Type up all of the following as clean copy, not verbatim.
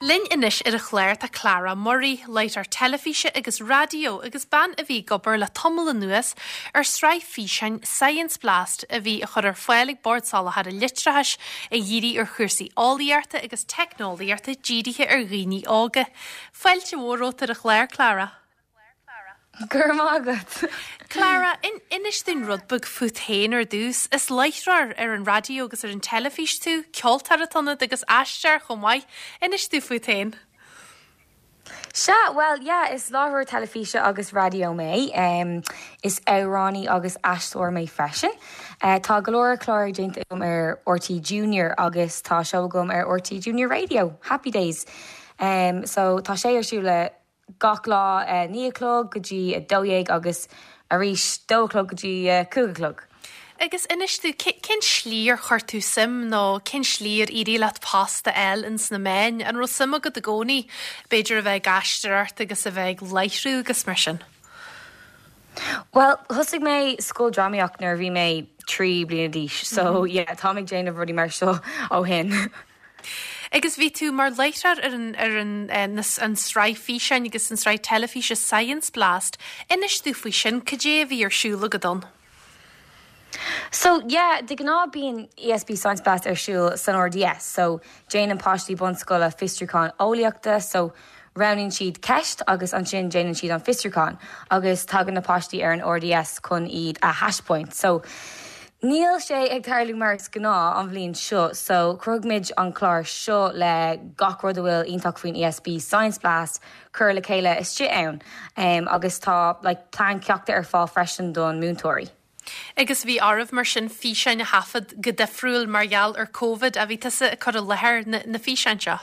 Linn anois ar an chlár tá Clara Murray, láithreoir teilifíse agus raidió agus bean a bhí ag obair le tamall anuas ar sraith físeáin Science Blast a bhí á chur ar fáil ag Bord Soláthair an Leictreachais a dhírigh ar chúrsaí eolaíochta agus teicneolaíochta dírithe ar dhaoine óga. Fáilte mhór romhat ar an chlár, Clara. Go raibh maith agat. Clara, inis dúinn rud beag fút féin ar dtús. Is láithreoir ar an raidió agus ar an teilifís tú, ceoltóir atá ionat agus aisteoir chomh maith. Inis dúinn fút féin. Sea, bhuel, yeah, is láithreoir teilifíse agus raidió mé. Is amhránaí agus aisteoir mé freisin. Tá go leor clár déanta agam ar RTÉ Junior agus tá seó agam ar RTÉ Junior Radio, Happy Days. So tá sé ar siúl le gach lá 9 a chlog go dtí 12 agus arís 2 a chlog go dtí 5 a chlog. Agus inis dúinn, cén slí ar chuir tú suim nó cén slí ar éirigh leat post a fháil ins na meáin? An raibh suim agat i gcónaí b'fhéidir a bheith ag aisteoireacht agus a bheith ag láithriú agus mar sin? Bhuel, thosaigh mé scoil drámaíocht nuair a bhí mé 3 bliana d'aois so yeah, táim ag déanamh rudaí mar seo ó shin. Agus bhí tú mar láithreoir ar an, ar an, an sraith físeáin agus an sraith teilifíse Science Blast. Inis dúinn faoi sin, cad é a bhí ar siúl agat ann? So, yeah, de ghnáth bíonn ESB Science Blast ar siúl san RDS, so déanann páistí bunscoile fiosrúchán eolaíochta, so Roghnaíonn siad ceist agus ansin déanann siad an fiosrúchán agus tagann na páistí ar an RDS chun iad a thaispeáint. So, níl sé ag tarlú mar is gnáth an bhliain seo so chruthaigh muid an clár seo le gach rud a bhfuil iontach faoin ESB Science Blast cur le chéile istigh ann agus tá like plean ceachta ar fáil freisin don múinteoirí. Agus bhí oraibh mar sin físeáin a thaifead go difriúil mar gheall ar Covid, a bhí tusa ag cur i láthair na na físeáin seo?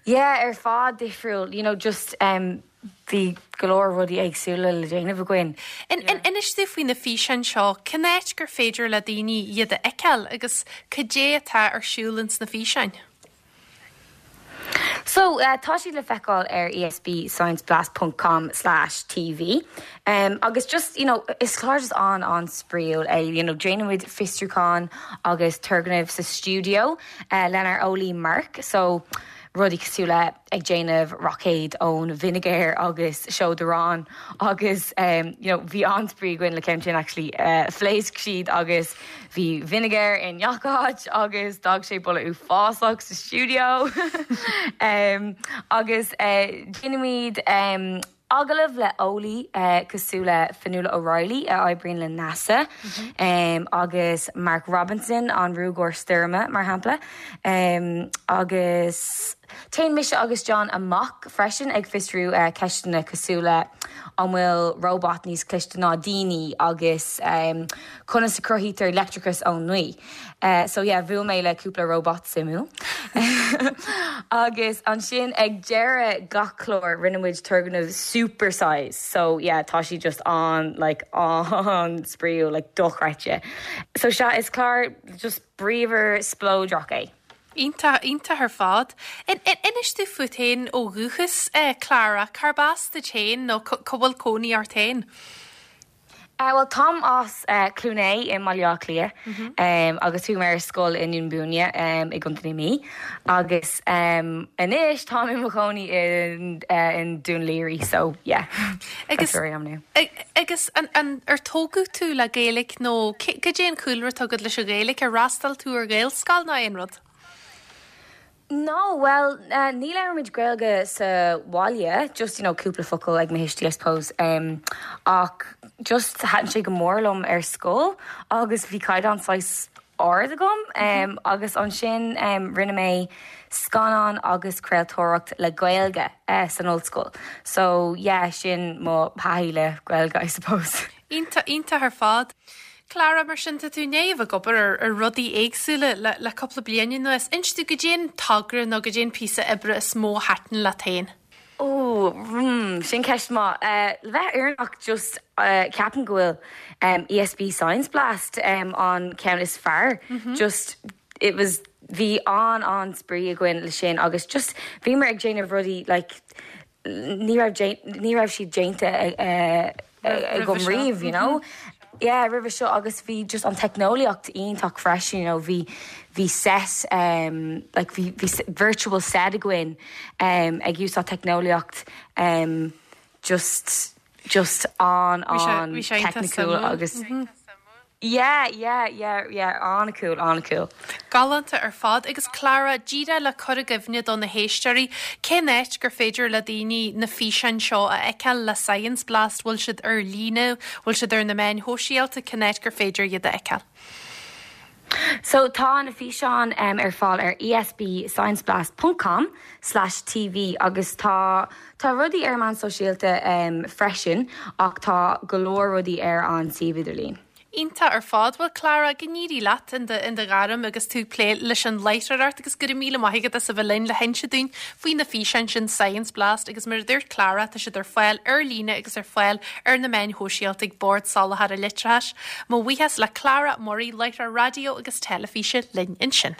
Yeah, ar fad difriúil, you know, just um, bhí go leor rudaí éagsúla le déanamh againn. Inis dúinn faoi na físeáin seo, cén áit gur féidir le daoine iad a fheiceáil agus cad é atá ar siúl ins na físeáin? So, tá siad le feiceáil ar esbscienceblast ponc com slash tv agus just, you know, is clár just an-an-spraíúil é, you know, déanaimid fiosrúchán agus turgnaimh sa stiúideo lenár eolaí Mark, so rudaí cosúil le ag déanamh roicéad ón vinegar agus seod aráin agus you know, bhí an-spraoi againn le ceann sin actually, phléasc siad agus Bhí vinegar i ngach áit agus d'fhág sé boladh uafásach sa stiúideo. Agus déanaimid agallamh le eolaí cosúil le Fionnuala O'Reilly a oibríonn le NASA agus Mark Robinson, an ruagóir stoirme, mar shampla. Agus téann mise agus John amach freisin ag fiosrú ceisteanna cosúil le an bhfuil róbat níos cliste ná daoine agus conas a chruthaítear leictreachas ón ngaoth. So yeah, bhuail mé le cúpla róbat suimiúil. Agus ansin ag deireadh gach clár rinne muid turgnamh super size. So yeah, tá siad just an like an-spraíúil, like dochreidte. So sea, is clár just bríomhar spleodrach é. Iontach, iontach ar fad. Inis dúinn fút féin ó dhúchas, Clara, cárb as duit féin nó cá bhfuil cónaí ort féin? Bhuel, táim as Cluain Aodha i mBaile Átha Cliath agus chuaigh mé ar scoil i nDún Búinne i gContae na Mí agus anois táim i mo chónaí i nDún Laoghaire so yeah, that's where I am now. Agus an ar tógadh tú le Gaeilge nó cad é an cúlra atá agat leis an Ghaeilge? Ar fhreastail tú ar Ghaelscoil nó aon rud? No, bhuel, ní labhraímid Gaeilge sa bhaile, just, you know, cúpla focal ag mo thuistí, I suppose, ach just thaitin sé go mór liom ar scoil agus bhí caighdeán saghas ard agam agus ansin rinne mé scannán agus craoltóireacht le Gaeilge san ollscoil. So, yeah, sin mo thaithí le Gaeilge, I suppose. Iontach, iontach ar fad. Clara, mar sin, tá tú i ndiaidh a bheith ag obair ar, ar rudaí éagsúla le, le cúpla bliain anuas. Inis dúinn goidé an togra nó goidé an píosa oibre is mó a thaitin leat féin. Ó, mm, sin ceist maith. Le bheith fhírinneach, just, ceapaim go bhfuil ESB Science Blast an ceann is fearr. Just, it was, bhí an-an-spraoi againn le sin agus just bhíomar ag déanamh rudaí like, ní raibh ní raibh siad déanta agam riamh, you know. Yeah, roimhe seo agus bhí just an teicneolaíocht iontach freisin, you know, bhí bhí set um, like bhí bhí virtual set againn um, ag úsáid teicneolaíocht um, just just an an teicniúil agus Yeah, yeah, yeah, yeah, an-cool, an-cool. Galánta ar fad. Agus Clara, díreach le cur i gcuimhne do na héisteoirí, cén áit gur féidir le daoine na físeáin seo a fheiceáil le Science Blast? Bhfuil siad ar líne? Bhfuil siad ar na meáin shóisialta? Cén áit gur féidir iad a fheiceáil? So tá na físeáin ar fáil ar esbscienceblast ponc com slash tv agus tá tá rudaí ar meáin sóisialta freisin ach tá go leor rudaí ar an suíomh idirlín. Iontach ar fad. Bhuel Clara, go n-éirí leat in do in do ghairm agus tú ag plé leis an láithreoireacht agus go raibh míle maith agat as a bheith linn le hinse dúinn faoi na físeáin sin Science Blast agus mar a dúirt Clara tá siad ar fáil ar líne agus ar fáil ar na meáin shóisialta ag Bord Soláthair an Leictreachais. Mo bhuíochas le Clara Murray, láithreoir raidió agus teilifíse linn ansin.